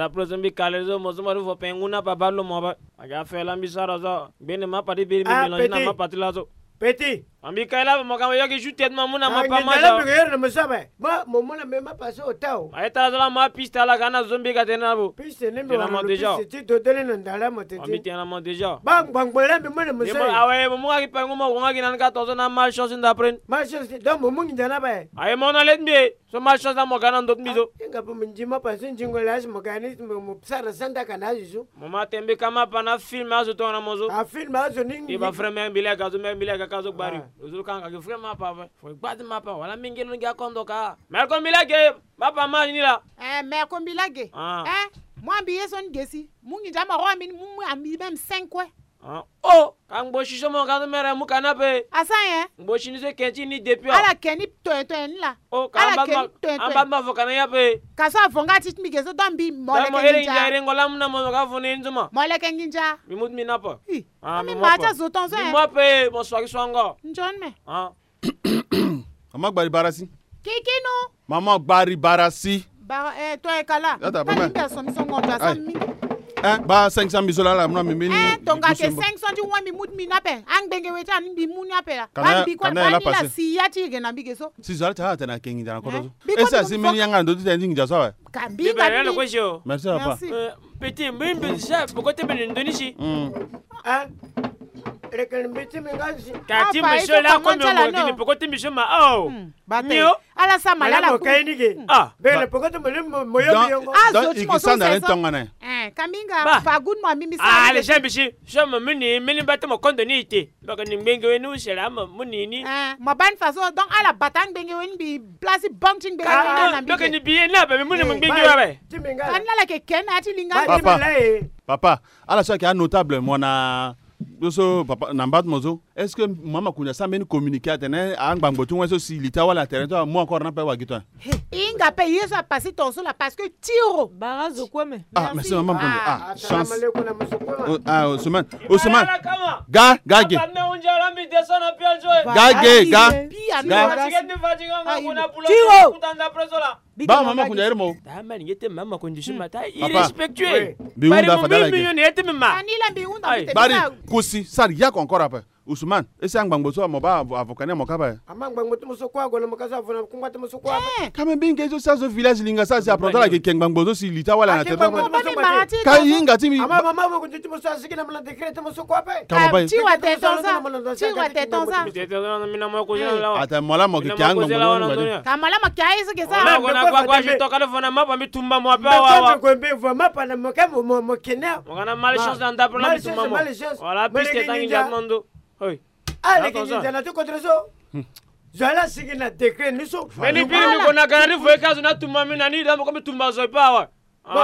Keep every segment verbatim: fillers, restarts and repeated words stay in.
Après so mbi kale so mo so mo ti vo pe ngu na papa lo mo pe. Aga fe la mbi sara so. Gbene mapa ti biri mbi mélange na mapa ti laso. Petit. Ambi kai la mo ka mo yoki ju tête ma mu na mapa ma ja. Ngi na mo sabe. Ba mo mu na me mapa so tao. Aye tara so la ma piste ala ka na zo mbi ka tene na bo. Piste ni mbi tene na mo déjà. Piste ti dodele na ndala mo tete. Ambi tene na mo déjà. Ba ngbangbo la mbi mu na mo sabe. Awe mo mu nga ki pe ngu mo wonga ki na ni ka tonso na malchance nda pren. Malchance donc mo mu ngi nda na ba. Aye mo na let mbi. So malchance na mo ga na ndo ti mbi so. Nga pe mo ndi mapa so ndingo la si mo ga ni mo sara sanda ka na azo so. Mo ma tembe ka mapa na film azo tongana mo so. A film azo ni. Ba frère mère mbi le aga so mère mbi le aga ka so gbari. Ozo ka nga ke frère mapa. Fo gbati mapa wala mingi no ngia kondo ka. Mère ko mbi le ge mapa ma ni la. Eh mère ko mbi le ge. Eh mo ambi ye so ni ge si. Mu ngi nda ma ro ambi mu ambi même cinq kue. Oh ka ngbo si so mo ka so mere mu ka na pe. Asa nyen? Ngbo si ni so ken ti ni depuis. Ala ken ni toyen toyen ni la. Oh ka ala ken ni toyen toyen. Amba ma vo ka na ya pe. Ka so avo nga ti ti mbi ge so da mbi mo leke nginja. Mo leke nginja. Mo leke nginja. Mi mu ti mbi na pe. Ah mi mo ti azo tonso. Mi mo pe mo swaki swango. Njon me. Ah. Mama gbari bara si. Kikinu. Mama gbari bara si. Bara eh to e kala. Yata ba me. Ka mbi aso mi so ngombe aso mi. Eh ba cinq cent mille so la la muna mi mini. Eh tonga ke cinq cent ti wa mi mu ti mbi na pe. Angbenge we ti ani mbi mu ni ape la. Kana kana la passé. Si ya ti ge na mbi ge so. Si zo ala ti ala tena ke nginja na kodo so. Ese asi mini yanga ndo ti tena ti nginja so awe. Ka mbi ka mbi. Merci papa. Petit mbi mbi sa poko te bene ndo ni si. Hein. Reke ni mbi ti mbi nga si. Ka ti mbi so la ko mi ongo kini poko ti mbi so ma oh. Bate. Ala sa ma ala mo kai ni ke. Ah. Bele poko ti mbi mo yo mi yongo. Ah zo ti mo so sa. Eh ka mbi nga pa good mo mbi mi sa. Ah le jambi si. So mo mini mini ba te mo kondo ni ite. Mbaka ni ngbenge we ni usela mo muni ni. Eh mo bani faso donc ala bata ngbenge we ni bi place banque ti ngbenge we ni na mbi. Mbaka ni biye na ba mi muni mo ngbenge we. Ka ni ala ke ken na ti linga. Papa. Papa. Ala so ayeke anotable mo na so papa na mba ti mo so. Est-ce que mama kunja asara mbeni communiqué atene angbangbo ti wen so si li ti awali na terrain ti amu encore na pe wagi to? Hinga pe ye so apase tonso la parce que tiro. Bara zo kue me. Ah merci mama kunja. Ah chance. Ah Ousmane. Ousmane. Ga ga ge. Ga ge ga. Tiro. Ba mama kunja iri mo. Mama kunja iri mo. Irrespectueux. Bari kusi sara yako encore ape. Ousmane ese angbangbo so mo ba avocat ni amo kapa ye. Ama ngbangbo ti mo so kue ague na mo ka so avo na kungba ti mo so kue ape. Ka me mbi nge so si azo village linga so asi apronto ala yeke ke ngbangbo so si li ti awali na terrain. Ka hinga ti mbi. Ama mama mo kunja ti mo so asigi na mo na décret ti mo so kue ape. Ka mo ba ye. Ti wa te tonza. Ti wa te tonza. Ata mo la mo ke ke angbangbo. Ka mo la mo ke aye so ke sa. Mo na kua kua si toka le fo na mapa mbi tumba mo ape awa awa. Mbe mbe vo mapa na mo ke mo mo kene. Mo kana malchance na ndapre na mbi tumba mo. Voilà piste tangi ndia ti mo ndo. Aleke nginza na ti kodro so. Zo ala sigi na décret ni so. Mbeni biri mbi gue na gara ni vo ye ka zo na tumba mbi na ni da mo ko mbi tumba zo e pe awe. Zo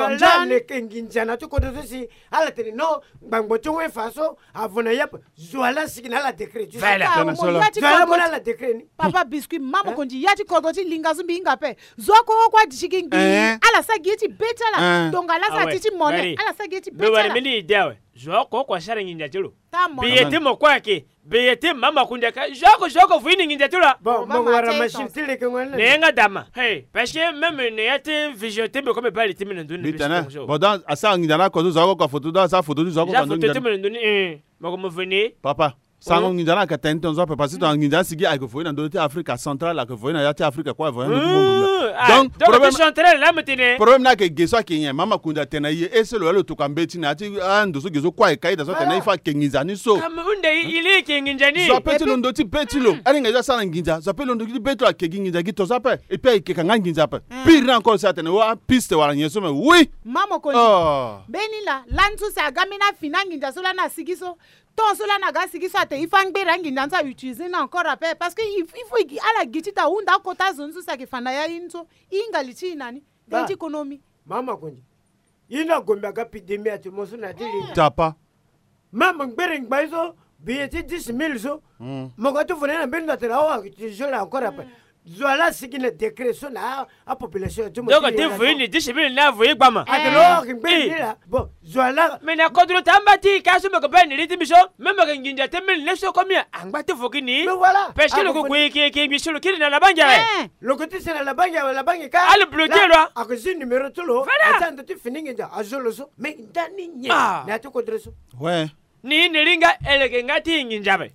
ala leke nginza na ti kodro so si ala tene non ngbangbo ti wen fa so avo na ye ape. Zo ala sigi na ala décret ti so. Zo ala mo na ala décret ni. Papa biscuit mama konzi ya ti kodro ti linga so mbi hinga ape. Zo oko oko adi ti gi ngbii ala sara gi ye ti be ti ala. Tonga ala sara ti ti mone ala sara gi ye ti be ti ala. Zo oko oko asara nginza ti lo. Bi ye ti mo kue ayeke. Bi ye ti mama kunja ka zo oko zo oko fu ini nginza ti lo. Bon mo wara machine ti leke ngoi na. Ne nga dama. Hey parce que même ne ya ti vision ti mbi ko mbi baa li ti mbi na ndoni. Bon donc asara nginza na oko zo zo oko afoto donc asara foto ti zo oko. Asara foto ti mbi na ndoni. Mo ko mo veni. Papa. Sango nginza na aka tene tonzo ape parce que tonga nginza asigi ayeke voye na ndö ti Afrika centrale ayeke voye na ya ti Afrika kue voye na ndö ti monde. Donc problème centrale la mo tene. Problème ni ayeke ge so ayeke nyen mama kunza atene na e ye ese lo ya lo tokua mbeti na ya ti ando so ge so kue ayeke ka ita so atene na e fa ayeke nginza ni so. Hunde e li e yeke nginza ni. Zo ape ti lo ndö ti be ti lo alinga ye so asara na nginza zo ape lo ndö ti be ti lo ayeke gi nginza gi tonzo ape. Et puis ayeke ka nga nginza ape. Pire ni encore si atene wa piste wala nyen so me oui. Mama konzi. Mbeni la lani so si aga mbeni afi na anginza so lani asigi so. Ton so lani aga sigi so ate e fa ngbere anginza ni so a utiliser ni encore ape parce que il faut ala gi ti ta hunda akota azo ni so si ayeke fa na ya ye ni so e hinga li ti e na ni. Tënë ti konomi. Mama konzi. Ye ni agombe aga pidemi ate mo so na ya ti li. Tapa. Mama ngbere ngbai so biye ti dix mille so. Mo ga ti vo na ye na mbeni ndo ate la awa a utiliser la encore ape. Zo ala asigi na décret so na a population ya ti mo. Donc ti voyé ni disi mille ni avoyé gbama. Ake lo ake ngbe ni la. Bon, zo ala. Mais na kodro ti amba ti ka so mbi yeke baa ni li ti mbi so. Même mbi yeke nginza ti mille ni so komi angba ti vo gi ni. Mais voilà. Parce que lo ke gue yeke yeke mbi so lo kiri na labangi awe. Lo ke ti si na labangi awe, labangi ka. Ala bloqué lo. Ake zi numéro ti lo. Voilà. Asa ndo ti fini nginza azo lo so. Mais ndani nyen na ya ti kodro so. Ouais. Ni ni iri nga e leke nga ti nginza ape.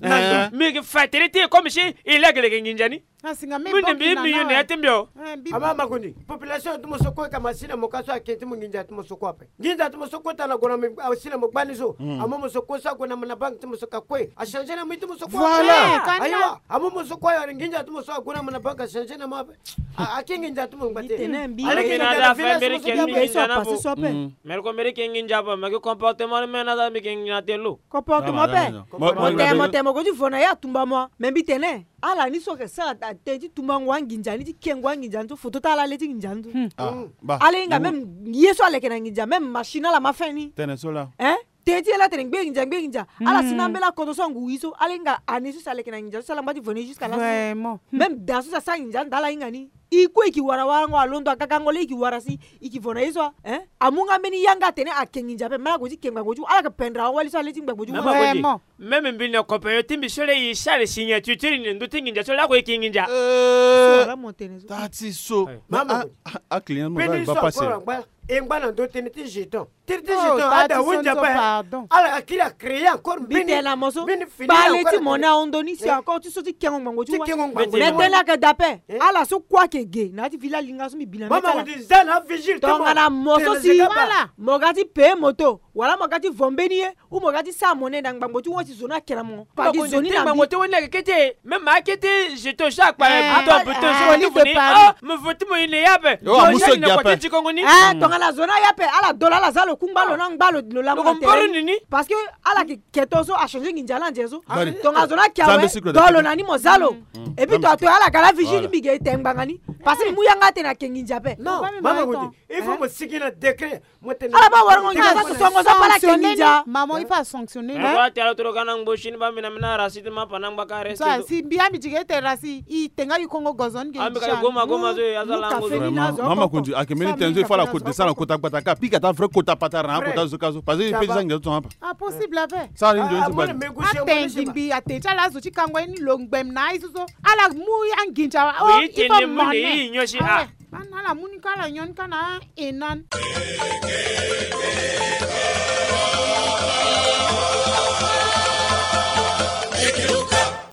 Mbi yeke fa tënë ti e comme si e leke leke nginza ni. Mbi ne mbi mbi yo na ya ti mbi o. Ama makundi population ti mo so kue ka ma si na mo ka so ake ti mo nginza ti mo so kue ape. Nginza ti mo so kota na gue na mo asi na mo gbani so. Amu mo so kue so ague na mo na banque ti mo so ka kue achangé na mo ti mo so kue. Voilà. Ayiwa, amu mo so kue ayore nginza ti mo so ague na mo na banque achangé na mo ape. Ake nginza ti mo ngba te. Aleke nginza na village ti mo so kue ape. Mbi leke mbi leke nginza ape, mbi yeke comportement ni me na za mbi yeke nginza te lo. Comportement ape. Mo tene mo tene mo ko ti vo na ye atumba mo. Mais mbi tene ala ni so ayeke sara tënë ti tumba ngu anginza ni ti ke ngu anginza ni so foto ti ala le ti nginza ni so. Ala hinga même ye so aleke na nginza même machine ala ma fin ni. Tënë so la. Hein? Tënë ti ye la tene ngbe nginza ngbe nginza. Ala si na ambela akoto so angu ye so ala hinga ane so si aleke na nginza so si ala ngba ti vo na ye jusqu'à la. Vraiment. Même da so si asara nginza anda ala hinga ni. I kue i ki wara warango alondo agagango laa i ki wara si i ki vo na ye so. Hein? Amu nga mbeni yanga atene ake nginza ape mara gue ti ke ngbangbo ti ala yeke pendre awali so ale ti ngbangbo ti. Vraiment. Même mbi na compagnon ti mbi so le i sara signature ti iri na ndö ti nginza so lako i ke nginza. Tati so. Aclient mo ga e ngba pase. E ngba na ndö tënë ti jeton. Tënë ti jeton ada wenze ape. Ala akiri acréer encore mbeni tene na mo so. Mbeni fini bale ti mo na hondo ni si encore ti so ti kengo ngbangbo ti wa. Mais tënë ayeke da ape. Ala so kue ayeke ge na ya ti village linga so mbi bi na mama ko ti za na vigile ti mo. Tongana mo so si mo ga ti paye moto wala mo ga ti vo mbeni ye. Ou mo ga ti sara mo nene na ngbangbo ti won ti zo ni ake na mo. Padi zo ni na mbi. Ngbangbo ti won ni ake kete. Même ake ti jeton so akpa buton buton so mo ti vo ni. Oh mo vo ti mo ye na ye ape. Tongana zo ni aye ape ala do lo ala za lo kungba lo na ngba lo lango na tere ni. Parce que ala ke keto so achangé nginza ala nze so. Tongana zo ni ake awe do lo na ni mo za lo. Et puis to atoyo ala ga la vigile ti mbi ge e te ngbanga ni. Parce que mbi mu yanga atene ake nginza ape. Non mama ko ti il faut mo sigi na décret. Ala baa warango nginza so songo so baa ala ke nginza. Maman il faut sanctionner. Mbi tene toro ka na ngbo chine baa mbi na mbi na rasi ti mapa na ngba ka reste. Si mbi ya mbi ti ke ete rasi i te nga i kongo gozo ni ke. Ambi ka i goma goma so ya za lango zo. Mama ko ti ake mbeni tënë so il faut ala kota descend na kota gbata ka pika ta vrai kota patara na akota zo ka so parce que i pe ti za nginza so tonga mapa. Ah possible ape. Sara ni nzoni ti gbata. Atene mbi atene ti ala azo ti kango ye ni lo ngbem na aye so so ala mu anginza. Oh il faut monnaie. Ala mu ni ka ala nyon ka na e nan.